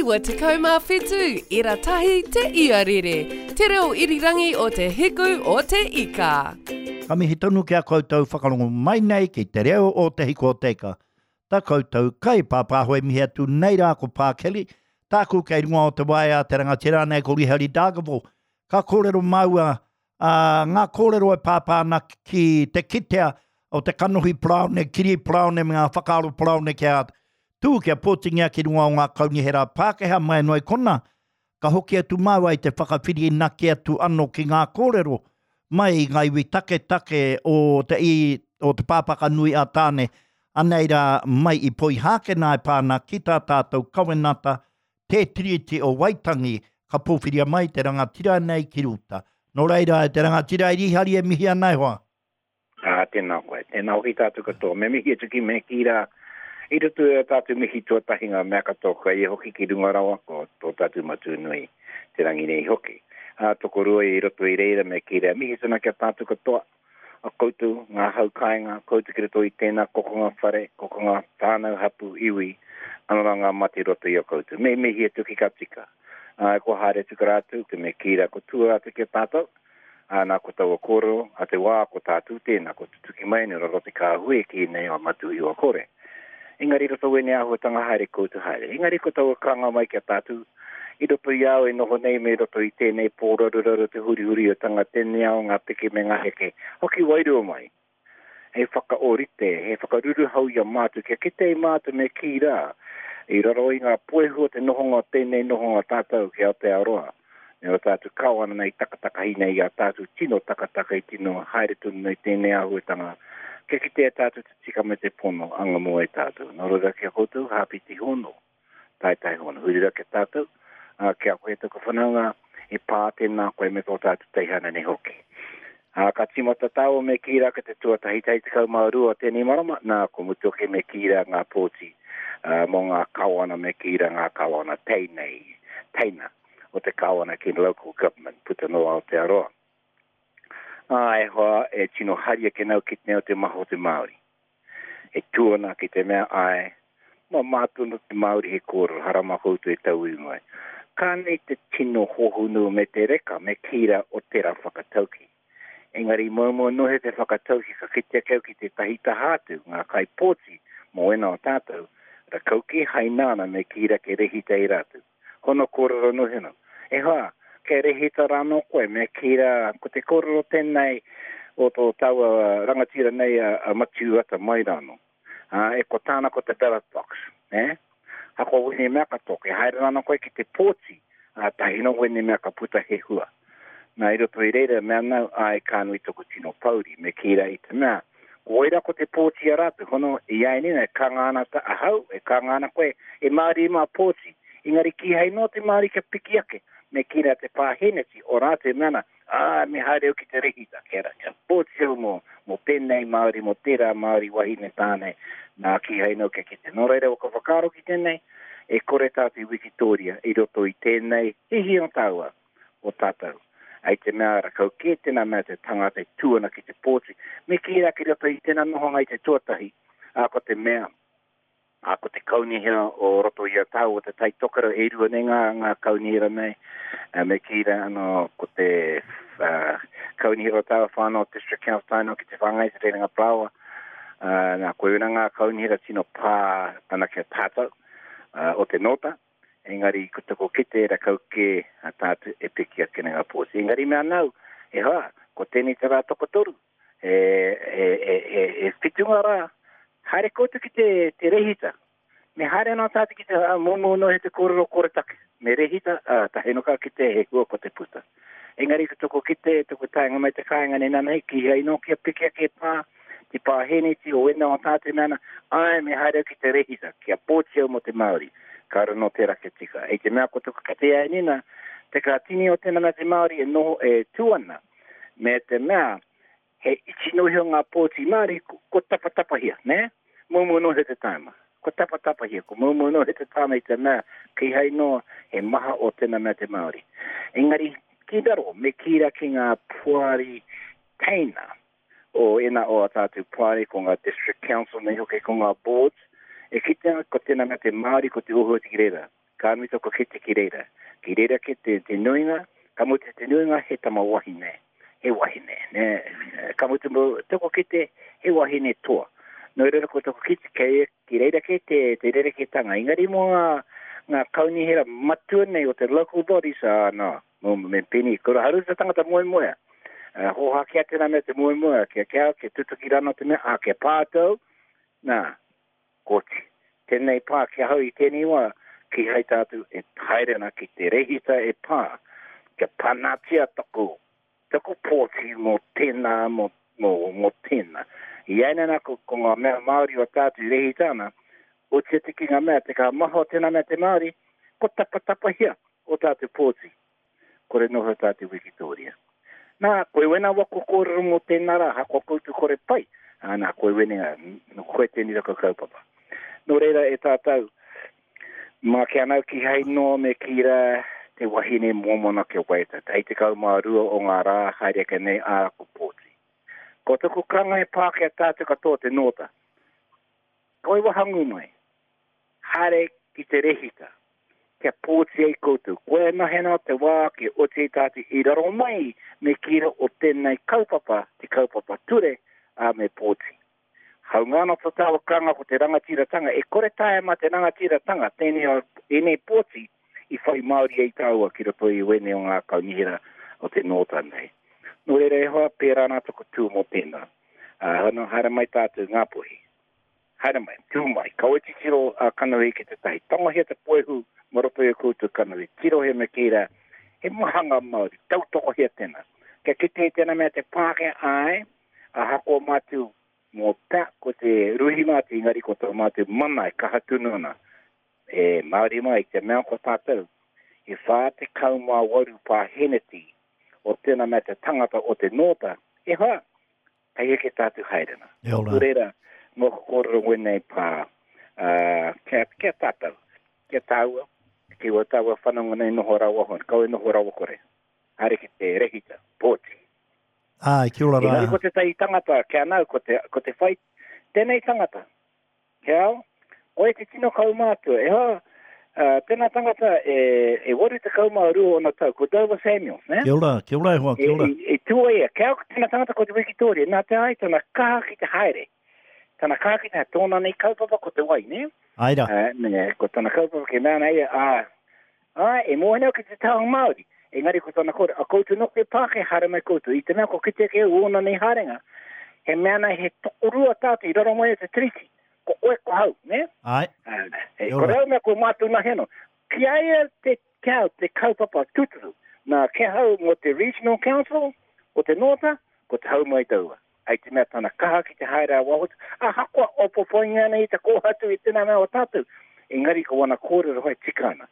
97 ira tahi te iarere, te reo irirangi o te hiku o te ika. Ka mihi tonu ki a koutou whakarongo mai nei ki te reo o Te Hiku o Te Ika. Ta koutou kai pāpāho e mihi atu nei rā ko Pā Kelly, tāku kei runga o te waea te rangatira nei ko Rihari Dargaville. Ka kōrero māua ā, ngā kōrero e pāpā ana ki te kitea o te kanohi paraone, kiri paraone me ngā whakaaro paraone kia tū, kia pōtingia ki runga o ngā kaunihera Pākehā mai anō i kona, ka hoki atu māua i te whakawhirinaki atu anō ki ngā kōrero mai i ngā iwi taketake o te i, o Te Pāpaka Nui a Tāne, anei rā mai i Poihākena e pā ana ki tā tātou kawenata Te Tiriti o Waitangi, ka pōwhiria mai te rangatira nei ki ruta. Nō reira, e te rangatira i Rīhari e mihi ana e hoa. Ā, tēnā koe. Tēnā hoki tātou katoa. Me mihi atu ki me kī rā, i roto i ā tātou mihi tuatahi ngā mea katoa kua ia hoki ki runga rawa, ko tō tātou Matua nui te rangi nei hoki. Ā, tokorua i roto i reira me kī rā, mihi tana ki a tātou katoa. a koutou, ngā hau kāinga, koutou ki roto i tēnā kokonga whare, kokonga whānau, hapū, iwi, anō rā ngā mate i roto i a koutou. Me mihi atu ki ka tika. Ā, kua haere atu ki rātou, te me kī rā, ko tua rātou ki a tātou, ā, nā ko taua kōrero a te wā, ko tātou tēnā, ko tutuki mai nei raro te kāhui e kī nei o Matuhiwa Kore. Engari i roto wēnei āhuatanga haere koutou haere. Engari ko taua karanga mai ki a tātou, i roto i a au e noho nei me roto i tēnei pōraruraru te hurihuriatanga tēnei ao ngā piki me ngā heke, hoki wairua mai hei whakaōrite, hei whakaruruhau i a mātou kia kite ai mātou me kī rā i raro i ngā puehu o te nohonga o tēnei nohonga tātou ki Aotearoa me ō tātou kawana nei takatakahi nei i a tātou tino takataka i tino haere tonu nei tēnei āhuatanga kia kitea tātou te tika me te pono anga mua i tātou. Nō reira ki a koutou, hāpiti hono. Taetae hono. Huri ra ki a tātou, ā, ki a koe taku whanaunga, e pā tēnā koe me tō tātou teihana nei hoki. Ā, ka tīmata tāua me kī rā ki te tuatahi tahi 12 o tēnei marama, nā, ko mutu ake me kī rā ngā pōti, ā, mō ngā kawana me kī rā ngā kawana teinei, teina o te kawana ki local government puta noa Aotearoa. Ā, e hoa, e tino hari ake nau ki te nei o te maha o te Māori. E tū ana ki te mea, āe, mā mātou nō te Māori he kōrero, hara mā koutou e tauiwi mai. Ka nei te tino hohonu me te reka, me kī rā o tērā whakatauki. Engari moumou nohe te whakatauki ka kite ake au ki tētahi taha atu, ngā kaipōti mō ēnā o tātou, rakauki haina ana me kī rā ke rehita i rātou. Hono kōrero noheno. E hoa, kei rehita rānō koe, me kī rā, ko te kōrero tēnei o tō taua rangatira nei a, a Matiu Ata mai rānō. Ā, e ko tāna ko te ballot box, nē? Hako wēnei mea katoa, kei haere rānō koe ki te pōti, ā, tahi nō wēnei mea ka puta he hua. Nā, i roto i reira, mea nau, āe, ka nui toku tino pouri, me kī rā i te mea, ko wai rā ko te pōti a rātou, hono, i āianei e kanga ana ta ahau, e kanga ana koe, e Māori mā pōti, engari kīhai noa te Māori kia piki ake, me kī rā te pāheneti o rātou e mea ana, ā, me haere au ki te rehita, kia, kia pōti au mō, mō tēnei Māori, mō tērā Māori, wahine, tāne, nā, kīhai noa kia kite. Nō reira, waka whakaaro ki tēnei, e kore tātou i wikitōria i roto i tēnei hihi o tāua. o tātou. Hei te mea rakau kē tēnā mea te tangata e tū ana ki te pōti, me kī rā ki roto i tēnā nohonga i te tuatahi, ā, ko te mea, ā, ko te kaunihera o roto i a tāua o Te Tai Tokerau, e rua nei ngā, ngā kaunihera nei, ā, me kī rā anō ko te, ā, kaunihera o tāua whānau District Council tae noa ki te whāngai te Rerenga Parāoa, ā, nā, koirā ngā kaunihera tino pā ana ki a tātou, ā, o te Nōta. Engari ko toko kite rakau kē a tātou e piki ake nei ngā pōti. Engari mea nau, e hoa, ko tēnei te rā tokotoru, e, e, e, e, e whitunga rā, haere koutou ki te, te rehita. Me haere anō tātou ki te momo no he te kōrero koretake. Me rehita, ā, tahi no ka kite he hua ko te puta. Engari ko toko kite, toko taenga mai te kāinga nei nanahi, kīhai nō kia piki ake pā, te pāheneti o wena o tātou me ana, āe me haere au ki te rehita, kia pōti au mō te Māori. Kāore nō tērā kia tika. I te mea ko taku kite ai nina, te ka tini o tēnā mea te Māori e noho e tū ana, me te mea he iti noa iho ngā pōti Māori, ko, ko tapatapahia, nē? Moumou noa iho te tāima. Ko tapatapahia, ko moumou noa iho te tāima i te mea kīhai noa he maha o tēnā mea te Māori. Engari, ki raro, me kī rā ki ngā poari teina, o ena o a tātou poari, ko ngā district council nei hoki, ko ngā boards, e kitea ko tēnā mea te Māori, ko te ohu atu ki reira. Ka nui toko kete ki reira. Ki reira ke te, te nuinga, ka mutu te nuinga he tama wahine, he wahine, nē. Ka mutu mo toko kete he wahine toa. Nō reira ko toko kete kei, ki reira ke te, te rerekētanga. Engari mō ngā, ngā kaunihera matua nei o te local bodies, ā, nā, mō me pēnei, kura haru te tangata moemoea. Uh, hōhā kia tēnā mea te moemoea, kia kia, kia tutuki rānō te mea, ā, kia pā tau, nā, Koti. Tēnei pā ki ahau i tēnei wā, kīhai tātou e haere ana ki te rehita e pā, kia panatia taku, taku pōti mō tēnā, mō, mō, mō tēnā. I ēnei nā ko, ko ngā mea Māori o tātou i rehita ana, oti atu ki ngā mea, te ka maha o tēnā mea te Māori, ko tapatapahia o tātou pōti. Kore noho tātou wikitōria. Nā, koe wena wako kōrero mō tēnā rā, hakoa koutou kore pai, ā, nā, koe wene, nō koe tēnei raka kaupapa. Nō reira, e tātou, mā ki anau kihai noa me kī rā te wahine mōmona kia waiata, hei 12 o ngā rā haere ake nei, ā, ko pōti. Ko taku karanga e pā ki a tātou katoa te nōta. Koe wahangū mai. Haere ki te rehita, kia pōti ai koutou. Koia anahe nā te wā kia oti ai tātou i raro mai me kīra o tēnei kaupapa, te kaupapa ture, ā, me pōti. Haunga ana tō tāua karanga ko te rangatiratanga, e kore taea mā te rangatiratanga tēnei, ēnei pōti i whai Māori ai tāua ki roto i wēnei o ngā kaunihera o te Nōta nei. Nō reira e hoa, pērā nā taku tū mō tēnā. Ā, hono, haere mai tātou Ngāpuhi. Haere mai, tū mai, kaua titiro a kanohi ki tētahi. Tangohia te poehu mō roto i a koutou kanohi. Tirohia me kī rā, he maha ngā Māori, tautokohia tēnā. Kia kite i tēnā mea te Pākehā, āe, ahakoa mātou mō ta, ko te ruhi mātou, engari ko tō mātou mana e kaha tonu ana. E Māori mā, i te mea ko tātou, e 48 pāheneti o tēnā mea te tangata o te nōta, e hoa, Hei heke tātou haerenga. E ora. Nō reira, mōku kōrero wēnei pā, ā, kia, kia tātou, kia tāua, ki wā tāua whanonga nei noho rawa hon, kaua e noho rawa kore. Haere ki te rehita, pōti. Āe, kia ora rā. Engari ko tētahi tangata, kia nau, ko te, ko te whai, tēnei tangata, He ao, koe te tino kaumātua. E hoa, uh, tēnā tangata e, e 82 ona tau, ko Dover Samuels, ne? Kia ora, kia ora e hoa, kia ora. E, e, e tua ia, kia au tēnā tangata ko te Wikitoria, nā te ai tana kaha ki te haere. Tana kaha ki te haere, tōna nei kaupapa ko te wai, ne? Ai rā. Uh, ne, ko tana kaupapa ke mea ana ia, ā, ā, e mōhio nei au ki te taha Māori. Engari ko tana kore, a koutou nō te Pākehā haere mai koutou, i te mea kua kite ake au ōna nei haerenga, he mea nei he tokorua tātou i raro mai o te tiriti, ko koe ko hau, nē? Āe. He kore au mea ko mātou nahi anō. Ki a ia te, ki au te kaupapa tūturu, nā ki ahau mō te Regional Council o te Nōta, ko te hau mai taua. Hei te mea tana kaha ki te haere a waho, ahakoa opopoingia ana i te kōhatu i tēnā mea o tātou, engari ko wana kōrero whai tika ana.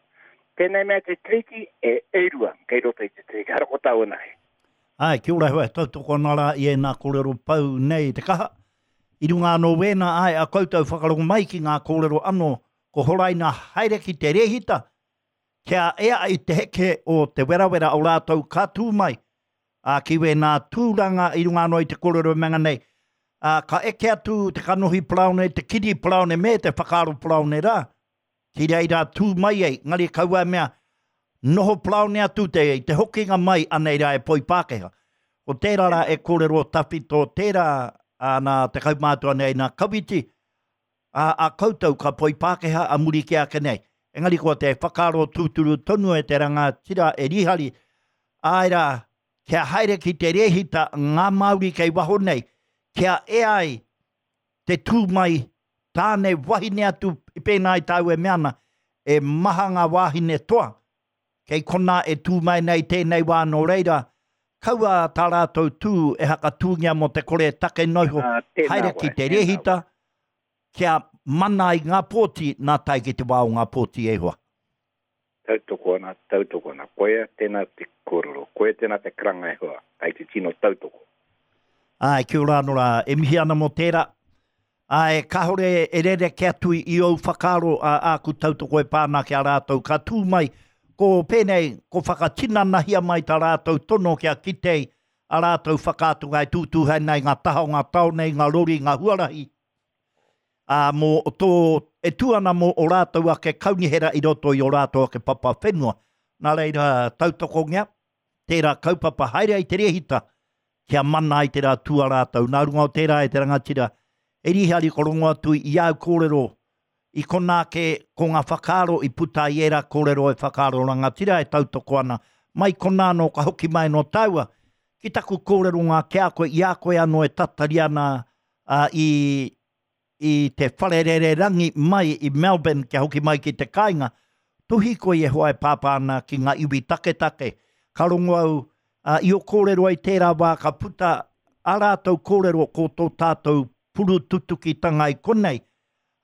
Tēnei mea te tiriti e erua kei roto i te tiriti, hara ko tāua nahi. Āe, kia ora hua, e tautoko ana rā i ēnā kōrero pau nei te kaha. I runga anō wēnā, āe, a koutou whakarongo mai ki ngā kōrero anō, ko horaina haere ki te rēhita, kia ea i te heke o te werawera o rātou ka tū mai, ā, ki wēnā tūranga i runga anō i te kōrero e mea nei, ā, ka eke atu te kanohi paraone, te kiri paraone me te whakaaro paraone rā, ki reira tū mai ai, engari kaua e mea, noho paraone atu te, i te hokinga mai anei rā e poi Pākehā. Ko tērā rā e kōrero tawhito tērā, ā, nā te kaumātua nei nā Kawiti, ā, a koutou ka poi Pākehā a muri kē ake nei. Engari ko te whakaaro tūturu tonu e te rangatira e Rihari, āe rā, kia haere ki te rēhita ngā Māori kei waho nei, kia ea ai te tū mai tāne wahine atu pēnā i tāu e mea ana, e maha ngā wāhine toa Kei konā e tū mai nei tēnei wā nō reira, kaua tā rātou tū e hakatūngia mō te kore take noa iho, haere ki te rēhita kia mana ai ngā pōti nā tae ki te wā o ngā pōti e hoa. Tautoko ana, tautoko ana. Koia tēnā te kōrero, koia tēnā te karanga e hoa, kei te tino tautoko. Āe, kia ora anō rā, e mihi ana mō tērā. Āe, kāore e rerekē atu i ōu whakaaro a āku tautoko e pā ana ki a rātou ka tū mai, ko pēnei, ko whakatinanahia mai tā rātou tono kia kite ai ā rātou whakaatunga e tūtū haere nei i ngā taha o ngā taone, i ngā rori, i ngā huarahi. Ā, mō tō, e tū ana mō ō rātou ake kaunihera i roto i ō rātou ake papa whenua. Nā reira, tautokongia tērā kaupapa haere ai te rēhita kia mana ai te rā tū a rātou. Nā runga o tērā e te rangatira, e Rīhari ko rongo atu i āu kōrero i konā ake ko ngā whakaaro i puta i ērā kōrero e whakaaro rangatira e tautoko ana. Mai konā anō ka hoki mai anō tāua ki taku kōrero ngā ki a koe i a koe anō e tatari ana ā, i, i te whare rererangi mai i Melbourne kia hoki mai ki te kāinga, tuhi koe e hoa e pāpā ana ki ngā iwi taketake. Ka rongo au, ā, i ō kōrero ai tērā wā ka puta ā rātou kōrero ko tō tātou purututukitanga i konei,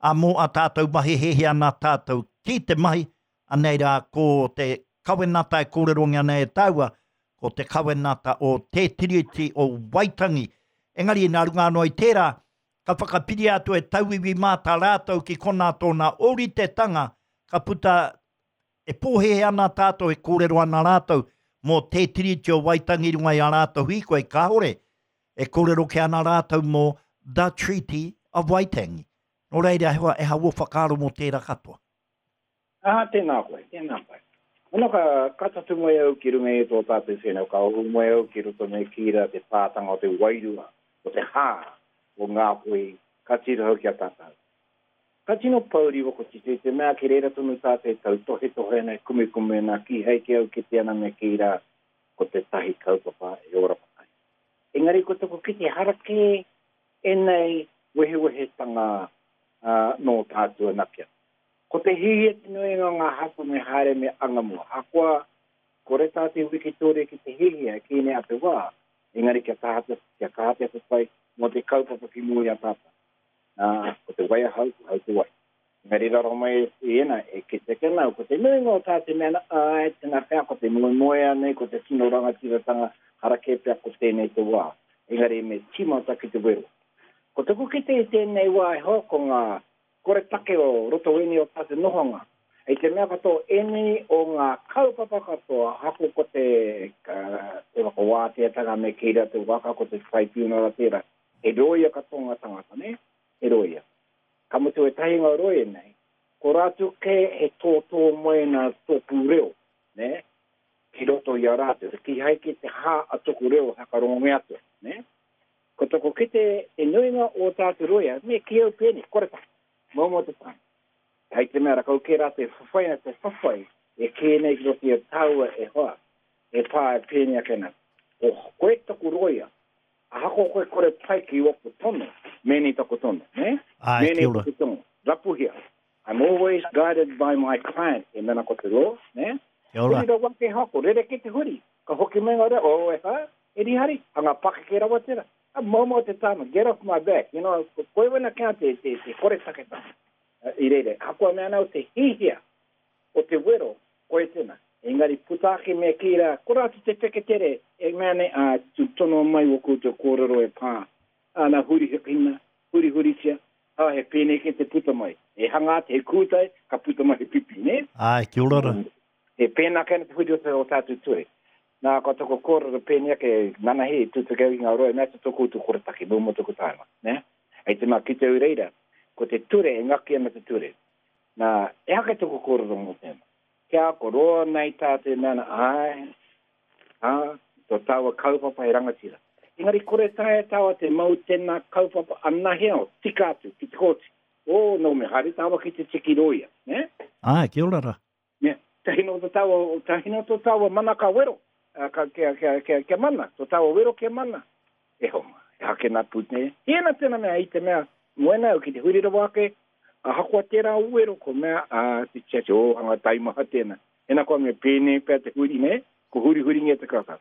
ā, mō ā tātou mahi hēhē ana tātou ki te mahi, anei rā ko te kawenata e kōrerongia nei e tāua, ko te kawenata o Te Tiriti o Waitangi. Engari nā runga anō i tērā, ka whakapiria atu e tauiwi mā tā rātou ki konā tōna ōritetanga, ka puta e pōhēhē ana tātou e kōrero ana rātou mō Te Tiriti o Waitangi i runga i ā rātou hīkoi, kāore e kōrero kē ana rātou mō The Treaty of Waitangi. Nō reira, he aha ō whakaaro mō tērā katoa? Ā, tēnā koe, tēnā koe. Ana ka, ka tatū mai au ki runga i tō tātou whenua, ka ohu mai au ki roto me kī rā te pātanga o te wairua, o te hā o Ngāpuhi, ka tiro hau ki a tātou. Ka tino pōuri waku tito i te mea ki reira tonu tātou e tautohetohe ana, e kumekume ana, kīhai ki au kite ana me kī rā, ko tētahi kaupapa e ora ai. Engari ko taku kite ehara kē ēnei wehewehetanga nō tātou anake. Ko te hihia te nuinga o ngā hapū me haere me anga mua. Ahakoa kore tā te wikitōria ki te hihia e kī nei a te wā, engari kia taha te, kia kaha te whawhai mō te kaupapa ki mua i a tātou. Nā, ko te wai ahau, ko hau te wai. Engari raro mai i ēnā, e kite ake ana au, ko te nuinga o tā te mea ana, āe, tēnā pea ko te moemoeā nei, ko te tino rangatiratanga, hara kē pea ko tēnei te wā. Engari me tīmata ki te wero. Ko taku kite i tēnei wā e hoa, ko ngā koretake o roto ēnei o tātou nohonga. I te mea katoa ēnei o ngā kaupapa katoa, ahakoa ko te, te whakawāteatanga me kī rā te waka, ko te tribunal tērā, he rōia katoa ngā tangata, nē? He rōia. Ka mutu ētahi ngā rōia nei, ko rātou kē he tōtō mai nā tōku reo, nē? Ki roto i a rātou. Kīhai kē te hā a tōku reo whakarongongia atu, nē? Ko toko kite te nuinga o tātou roia, me ki au pēnei, koretake, momo te tae. Hei te mea rakau kē rātou e whawhai ana te whawhai e kē nei ki roto i a tāua e hoa, e pā e pēnei ake ana. Ko koe taku roia, ahakoa koe kore pai ki waku tono, mēnei taku tono, nē? Āe, Mēnei kia ora. taku tono, rapuhia. I'm always guided by my client, e mena ko te law, nē? Kia ora. Huri rawa ake hoa, ko rerekē te huri. Ka hoki mai ngā reo, oh e hā, e Rihari, hanga pakeke rawa tērā. A momo te tāma, get off my back, you know, ko koe wena kia te, te, te koretaketanga i reira. Ahakoa mea ana au te hihia o te wero, koe tēnā. Engari puta ake me kī rā, kore atu te wheketere e mea nei, ā, tū tonoa mai o koutou kōrero e pā ana hurihikina, hurihuritia, ā, he pēnei kē te puta mai. E hanga atu he kūtai, ka puta mai he pipi, nē? Āe, kia ora rā. He pēnā kē ana te huri o te o tātou ture. Nā, ko taku kōrero pēnei ake, nanahi, tūtuki au ki ngā rohe, mea atu tō koutou koretake, nō mua taku taenga, nē? Hei te mea kite au i reira, ko te ture, e ngaki ana te ture. Nā, ehake taku kōrero mō tēnā. Kia ko roa nei tātou e mea ana, āe, ā, tō tāua kaupapa he rangatira. Engari kore taea tāua te mau tēnā kaupapa anahe ao, tika atu ki te kōti. Ō, nō me haere tāua ki te tiki rōia, nē? Āe, kia ora rā. Ne, tahi no to taua, tahi no to taua mana ka wero, ka, kia, kia, kia, kia mana, to taua wero kia mana. E homa, e hake nā pūt nei. Tēnā tēnā mea i te mea, moena au ki te huri rawa ake, ahakoa tērā o wero, ko mea, a, te tiati, o, hanga taimaha tēnā. Ena koa me pēnei pea te huri, ne, ko hurihuringia te kaka.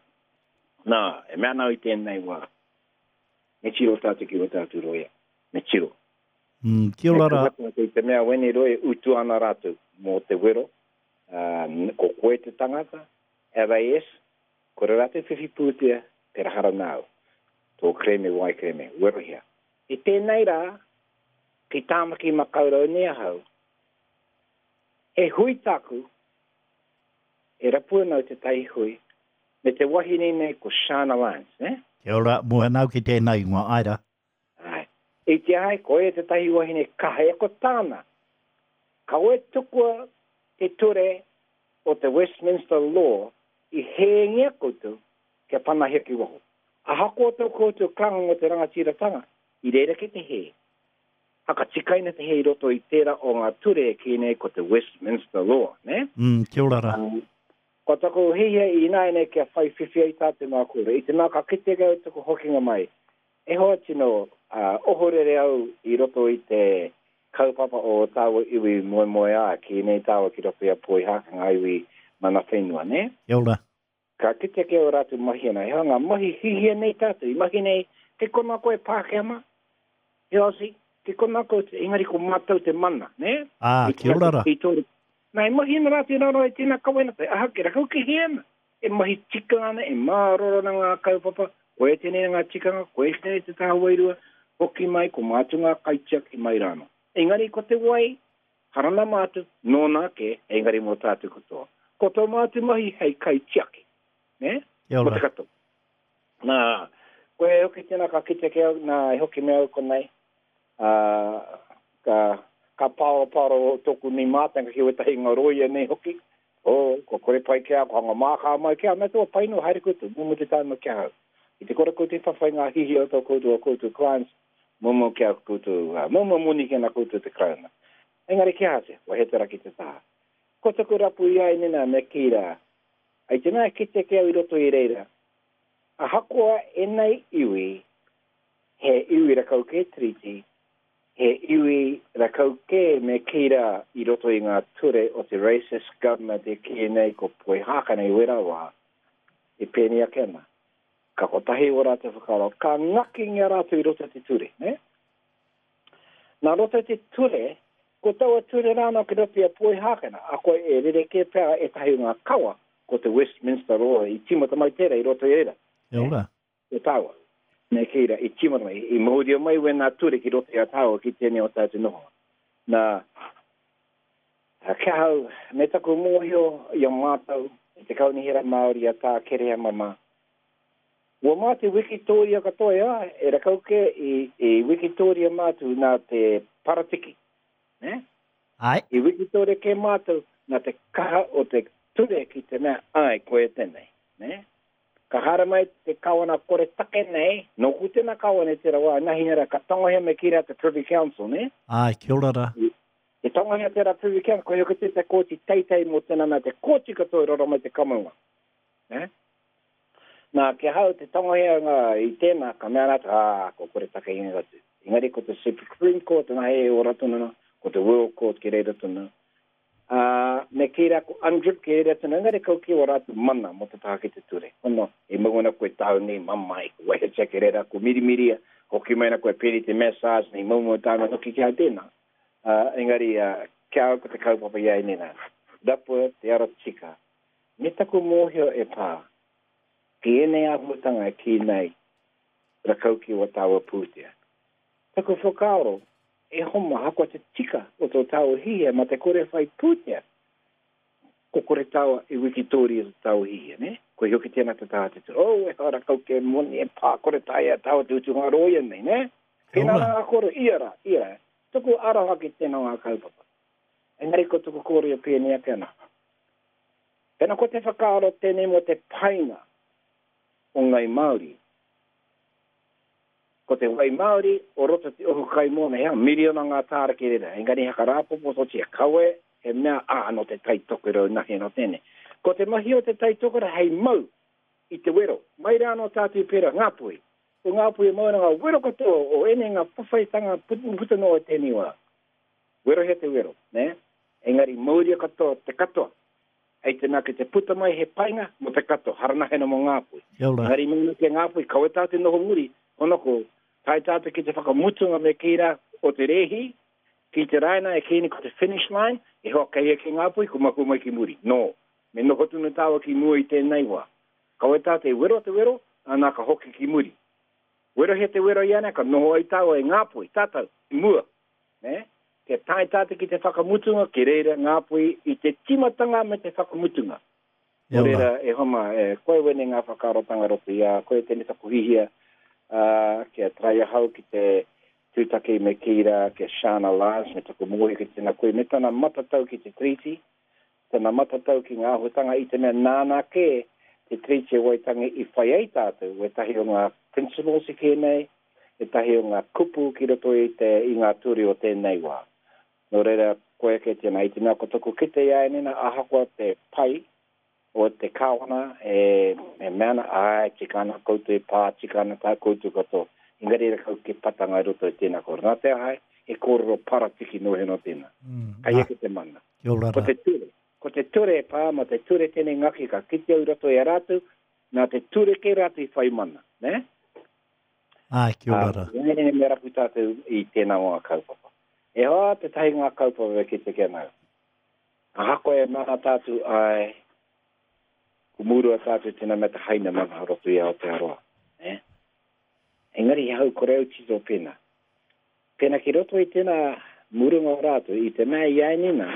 Nā, e mea ana au i tēnei wā, me tiro tātou ki o tātou roia, me tiro. Mm, kia ora ra. I te mea wene roi e utu ana ratou mo te wero, ko koe te tangata, RAS, kore ratou whiwhi pūtea, te rahara nāu, tō kereme wai kereme, werohia. I tēnei rā, ki Tāmaki Makaurau nei ahau, he hui tāku, e rapu ana au tētahi hui, me te wahine nei ko Shana Lyons, eh? Kia ora, moe ana au ki tēnā ingoa, āe rā. Āe. I te aha koe tētahi wahine kaha e ko tāna. Kawe tukua te ture o te Westminster Law i hēngia koutou kia panahia ki waho. Ahakoa tō koutou karanga mō te rangatiratanga, i reira kei te hē. Hakatikaina te hē i roto i tērā o ngā ture e kī nei ko te Westminster Law, nē? Mm, kia ora rā. Ko taku hiahia ināianei kia whai whiwhi ai tātou ngā kōrero. I te mea ka kite au taku hokinga mai, e hoa tino ohorere au i roto i te kaupapa o tāua iwi moemoeā, kī nei tāua ki roto i a Poihākena, ngā iwi mana whenua, nē? Kia ora. Ka kite ki ō rātou mahi ana, he aha ngā mahi hihia nei tātou i mahi nei, kei konā koe Pākehā mā, he Aussie, kei konā koutou, engari ko mātou te mana, nē? Ā, kia ora rā. I tō, nā, e mahi ana rātou i raro i tēnā kawenata, aha kē, rakau ki hea ana, e mahi tika ana, e māroro ana ngā kaupapa, koia tēnei ngā tikanga, koia tēnei te taha wairua, hoki mai, ko mātou ngā kaitiaki mai rānō. Engari ko te wai, Hara nā mātou, nōna ake, engari mō tātou katoa. Ko tō mātou mahi hei kaitiaki, nē? Kia ora. Mō te katoa. Nā, koe hoki tēnā ka kite ki au, nā, e hoki me au konei, ā, ka, ka pāoropāoro tōku nei mātanga ki wētahi ngā rōia nei hoki, oh, kua kore pai ki a, kua hanga mākā mai ki a, mea tō pai no, haere koutou, mumu te tāima ki ahau. I te kore koutou i whawhai ngā hihi o tō koutou, o koutou clients, Momo ki a koutou, momo moni ki ana koutou te Karauna. Engari ki aha te, kua he te raki te taha. Ko taku rapu i a Inena me kī rā, I te mea kite ki au i roto i reira, ahakoa enei iwi, he iwi rakau kē Tiriti, he iwi rakau kē me kī rā i roto i ngā ture o te racist government e kī nei ko Poihākena i wera wā, e pēnei ake ana. Ka kotahi ō rātou whakaaro, ka ngakingia rātou i roto i te ture, nē? Nā roto i te ture, ko taua ture rā anō ki roto i a Poihākena, akoa e rerekē pea ētahi o ngā kawa, ko te Westminster Law i tīmata mai tērā i roto i reira. Kia ora. Ko tāua, me kī rā, i tīmata mai, i mauria mai wēnā ture ki roto i a tāua ki tēnei o tātou nohonga. Nā, ki ahau, me taku mōhio i a mātou, i te Kaunihera Māori a Tā Kereama mā, Ua mā te wikitōria katoa e ai, e rakau kē i, i wikitōria mātou nā te paratiki, nē? Āe. I wikitōria kē mātou nā te kaha o te ture ki te mea, āe, koia tēnei, nē? Ka haere mai te kawana kore take nei, nōku tēnā kawana i tērā wā, nahi rā, ka tangohia me kī rā te Privy Council, nē? Āe, kia ora rā. I tangohia tērā Privy Council, koia hoki te kōti teitei mō tēnā mea, te kōti katoa i raro mai te kamunga, nē? Nā, ki ahau te tangohianga i tēnā, ka mea rātou, ā, kua kore take ingoa atu. Engari ko te Supreme Court nā e ora tonu ana, ko te World Court ki reira tonu. Ā, me kī rā ko UNDRIP ki reira tonu, engari kau ki ō rātou mana mō te taha ki te ture. Hono, e mau ana koe tāu nei mamae, ko wehetia ki reira, ko mirimiria, hoki mai ana koe pēnei te massage nei, moumou tāna hoki ki ahau tēnā. Ā, engari, ki ahau ko te kaupapa i a ēnei nā, rapua te ara tika, me taku mōhio e pā, Ki ēnei āhuatanga e kī nei, rakau ki wā tāua pūtea. Taku whakaaro, e homa ahakoa te tika o tō tāua hihia mā te kore whai pūtea, ko kore tāua e wikitōria tō tāua hihia, nē? Koia hoki tēnā te taha te ture, oh, ehara rakau kē moni e pā kore taea tāua te utu ngā rōia nei, nē? Pēnā rā ngā kōrero, ia rā, ia rā. Tuku aroha ki tēnā o ngā kaupapa. Engari ko tuku kōrero pēnei ake ana. Pena ko te whakaaro tēnei mō te painga o Ngai Māori. Ko te wai Māori o roto te ohu kai mōna, he aha, miriona ngā tāra ki reira, engari haka rāpopototia, kawe he mea, ā, nō te Tai Tokerau nahi anō tēnei. Ko te mahi o te Tai Tokerau hei mau i te wero, mai rā anō tātou i pērā, Ngāpuhi. Ko Ngāpuhi e mau ana ngā wero katoa o ēnei ngā whawhaitanga puta noa i tēnei wā. Werohia te wero, nē? Engari mauria katoa te katoa. Hei te mea kei te puta mai he painga mō te katoa, haranahena mō Ngāpuhi. Kia ora. Engari mēnā ki a Ngāpuhi, kawe tātou noho muri, hono ko tae tātou ki te whakamutunga me kī rā o te rēhi, ki te raina e kī nei ko te finish line, e hoa kei hea ki Ngāpuhi, ko mahue mai ki muri. Nō, me noho tonu tāua ki mua i tēnei wā. Kawe tātou e wero te wero, ana ka hoki ki muri. Werohia te wero ianei, ka noho ai tāua e Ngāpuhi, tātou, i mua. Nē? Kia tae tātou ki te whakamutunga, ki reira Ngāpuhi i te tīmatanga me te whakamutunga. Nō reira, e hoa mā, e, koe wēnei ngā whakaarotanga roto i a koe, tēnei taku hihia, ā, kia tae ahau ki te, Tūtaki me kī rā ki a Sian Elias me taku mōhio ki tēnā koe me tana matatau ki te Tiriti, tana matatau ki ngā āhuatanga i te mea nāna kē te Tiriti o Waitangi i whai ai tātou, wētahi o ngā principles i kē nei, ētahi o ngā kupu ki roto i te i ngā ture o tēnei wā. Nō reira, koia kē tēnā, i te mea ko taku kite i a Enina ahakoa te pai o te Kāwana e mea ana, āe, tika ana koutou e pā, tika ana tā koutou katoa. Engari ra kau ke patanga i roto i tēnā kōrero. Nā te aha, he kōrero paratiki noa heno tēnā. Kai eke te mana. Kia ora Ko te ture. Ko te ture e pā, mā te ture tēnei ngaki ka kite au i roto i a rātou, nā te ture kē rātou i whai mana. Nē? Āe, kia ora rā. Ā, me rapu tātou i tēnā o ngā kaupapa. E hoa, tētahi ngā kaupapa e kite ki ana au. Ahakoa e mana tātou āe, ko murua tātou tēnā mea te haina mana o roto i Aotearoa, nē? Engari he hau kore au tito pēnā. Pēnā ki roto i tēnā murunga o rātou, i te mea i āinina,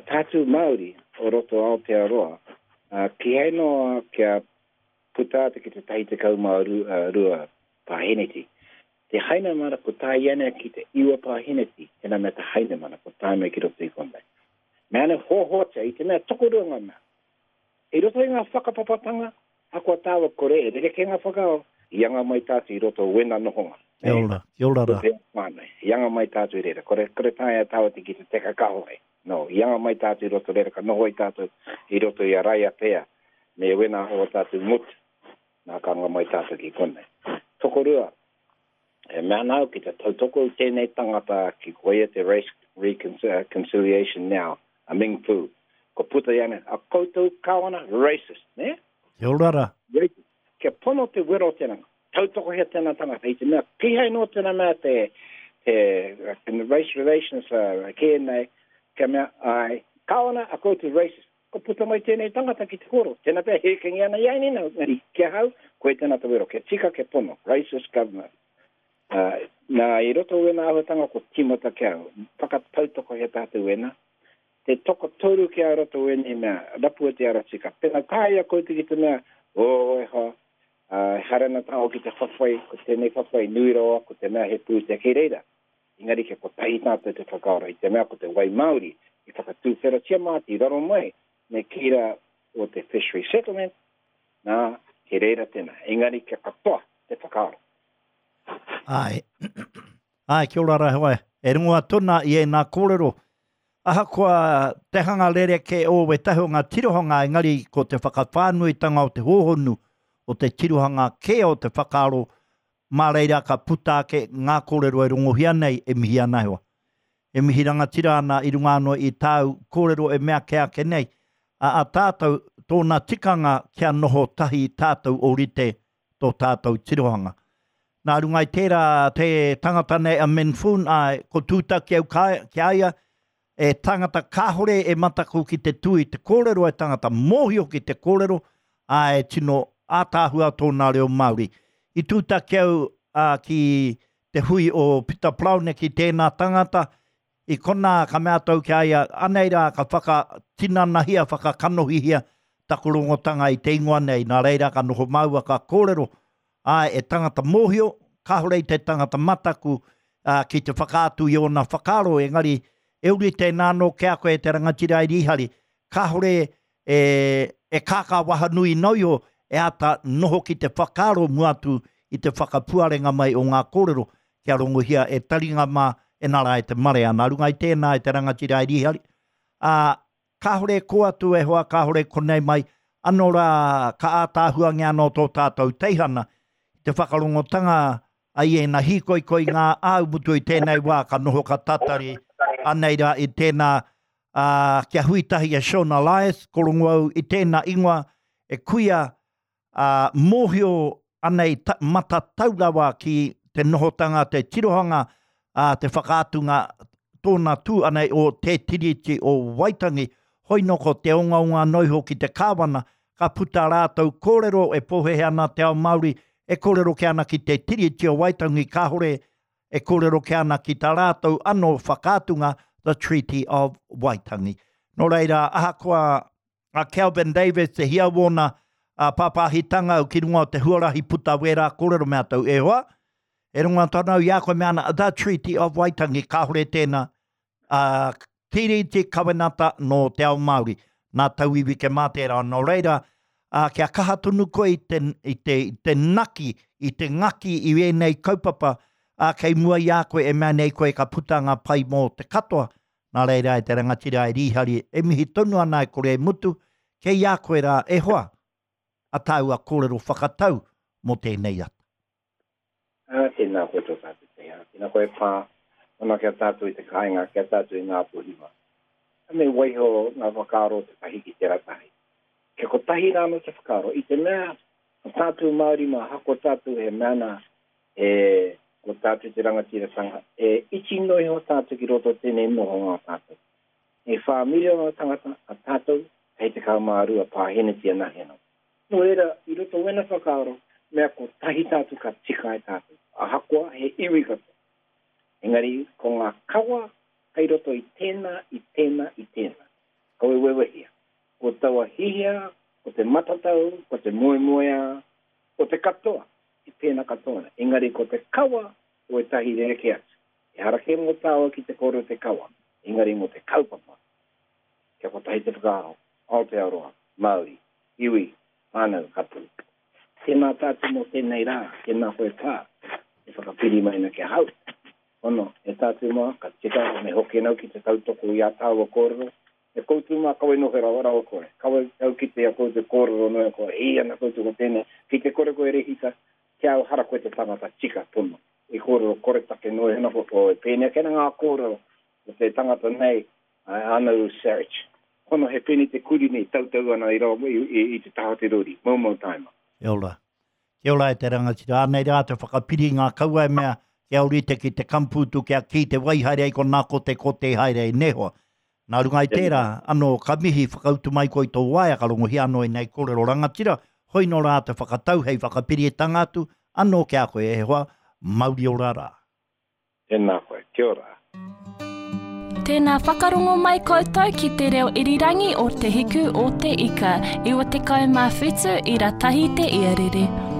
tātou Māori o roto Aotearoa, kīhai noa kia puta atu ki te 12 pāheneti. Te Hainamana ko tā ianei ki te iwa pāheneti, tēnā mea te Hainamana ko tā mai ki roto i konei. Mea ana hoahoatia i te mea tokorua ngā mea. I roto i ngā whakapapatanga, ahakoa tāua kore e rerekē ngā whakaaro, i anga mai tātou i roto o wena nohonga. Kia ora, kia ora rā. I anga mai tātou i reira, kore, kore taea tāua te ki te teka kahore. No, i anga mai tātou i roto reira, ka noho ai tātou i roto i a Raiatea me wena o tātou motu. Nā, ka anga mai tātou ki konei. Tokorua, e mea ana au ki te tautoko i tēnei tangata ki koia te Race Reconciliation Now, a Ming Fu. Ko puta i ana, a koutou kāwana, racist, nē? Kia ora rā. Racist. Kia pono te wero o tēnā, tautokohia tēnā tangata, i te mea, kīhai nō tēnā mea te, te, te race relations uh, kē nei, kia mea, ai, kāwana a koutou racist. Ka puta mai tēnei tangata ki te kōrero, tēnā pea hēkengi ana i a Nina, engari ki ahau, koe tēnā te wero, kia tika, kia pono, racist government. Uh, nā, i roto wēnā āhuatanga ko tīmata ki au, whakatautokohia tātou wēnā, te tokotoru ki a roto wēnei mea, rapua te ara tika. Pēnā taea koutou ki te mea, oh, e hoa, uh, ehara ana tāua ki te whawhai, ko tēnei whawhai nui rawa, ko te mea he pūtea kei reira. Engari kia kotahi tātou te whakaaro i te mea ko te wai Māori i whakatūwheratia mātou i raro mai me kī rā o te Fishery Settlement, nā, he reira tēnā. Engari kia katoa te whakaaro. Āe. Āe, kia ora rā hoa. E rongo atu ana i ēnā kōrero. Ahakoa te hanga rerekē o wētahi o ngā tirohanga, engari ko te whakawhānuitanga o te hōhonu o te tirohanga kē o te whakaaro Mā reira ka puta ake ngā kōrero e rongohia nei e mihi ana e hoa. E mihi rangatira ana i runga anō i tāu kōrero e mea kē ake nei, a a tātou, tōna tikanga kia noho tahi tātou ōrite tō tātou tirohanga. Nā runga i tērā te tangata nei a Min Foon, āe, ko Tūtaki au ki a ia, E tangata kāhore e mataku ki te tū i te kōrero, e tangata mōhio ki te kōrero, ā, e tino ātaahua tōna reo Māori. I tūtaki au ā, ki te hui o Pita Paraone ki tēnā tangata, i konā ka mea atu au ki a ia, anei rā ka whakatinanahia, whakakanohihia taku rongotanga i te ingoa nei, nā reira ka noho māua ka kōrero, Āe, e tangata mōhio, kāore i te tangata mataku ki te whakaatu i ōna whakaaro, engari e uri tēnā anō ki a koe e te rangatira e Rīhari, kāore e, e kākā wahanui noa iho e āta noho ki te whakaaro mua atu i te whakapuarenga mai o ngā kōrero kia rongohia e taringa mā, e nā rā e te marea. Nā runga i tēnā e te rangatira e Rīhari, ā, Kāore e kō atu e hoa, kāore konei mai, anō rā ka ātaahuangia anō tō tātou teihana i te whakarongotanga a i ēnā hīkoikoi ngā āu mutu i tēnei wā ka noho ka tatari anei rā i tēnā, ā, kia hui tahi a Sean Elias, ko rongo au i tēnā ingoa e kuia ā, mōhio ana i matatau rawa ki te nohotanga, te tirohanga, ā, te whakaatunga tōna tū ana o Te Tiriti o Waitangi, hoi nō ko te ongaonga anō iho ki te Kāwana, ka puta rātou kōrero e pōhēhē ana te ao Māori, e kōrero kē ana ki Te Tiriti o Waitangi, kāore e kōrero kē ana ki tā rātou anō whakaatunga, The Treaty of Waitangi. Nō reira, ahakoa a Kelvin Davis te hia wōna pāpāhitanga ki runga o te huarahi puta wērā kōrero me ātou e hoa. E rongo atu ana au i a koe me ana The Treaty of Waitangi, kāore tēnā ā, tiriti kawenata nō te ao Māori, nā tauiwi ke mā tērā. Nō reira, ā, kia kaha tonu koe i te, i te, i te naki, i te ngaki i ēnei kaupapa, ā, kei mua i a koe e mea nei koe ka puta ngā pai mō te katoa. Nā reira e te rangatira e Rīhari, e mihi tonu ana e kore e mutu, kei a koe rā e hoa, a tāua kōrero whakatau mō tēnei ata. Ā, tēnā koe tō tātou te ā, tēnā koe e pā ana ki a tātou i te kāinga, ki a tātou i Ngāpuhi mā. Me waiho ngā whakaaro o te tahi ki tērā tahi. Kia kotahi rānō te whakaaro, i te mea ko tātou Māori mā, ahakoa tātou he mea nā, he, ko tātou te rangatiratanga, he iti noa iho tātou ki roto o tēnei nohonga o tātou. He whā miriona tangata a tātou hei 12 pāheneti anahe anō. Nō reira, i roto wena whakaaro, mea kotahi tātou ka tika ai tātou, ahakoa he iwi katoa. Engari, ko ngā kawa kei roto i tēnā, i tēnā, i tēnā. Kaua e wewehia. Ko taua hihia, ko te matatau, ko te moemoeā, ko te katoa, e pēnā katoa ana. Engari ko te kawa o ētahi rerekē atu. Ehara kē mō tāua ki te kōrero te kawa, engari mō te kaupapa. Kia kotahi te whakaaro, Aotearoa, Māori, iwi, whānau, hapū. Tēnā tātou mō tēnei rā, tēnā koe pā, e whakapiri mai ana ki ahau. Hono, e tātou mā, ka tika, me hoki anau ki te tautoko i ā tāua kōrero. E koutou mā, kawe noho rawa, rawa kore. Kawe au ki te a koutou kōrero noa ko hī ana koutou ko tēnei. Ki te kore koe rehita, ki au hara koe te tangata tika pono. I kōrero koretake noa iho ana ko, e pēnei ake ana ngā kōrero o te tangata nei, a Anaru Saric. Hono he peni te kuri nei tautau ana i rawa i te taha o te rori. Moumou taima. Kia ora. Kia ora e te rangatira. Anei rā te whakapiri ngā kauae mea kia ōrite ki te kampūtu kia kī te wai haere ai konā ko te kote haere ai nē hoa. Nā runga i tērā, anō ka mihi whakautu mai koe i tō waea ka rongohia anō ēnei kōrero rangatira, hoi nō rā te whakatau hei whakapiritanga atu anō ki a koe e hoa, mauri ora rā. Tēnā koe. Kia ora. Tēnā whakarongo mai koutou ki te reo irirangi o Te Hiku o Te Ika, 97 ira tahi te iarere.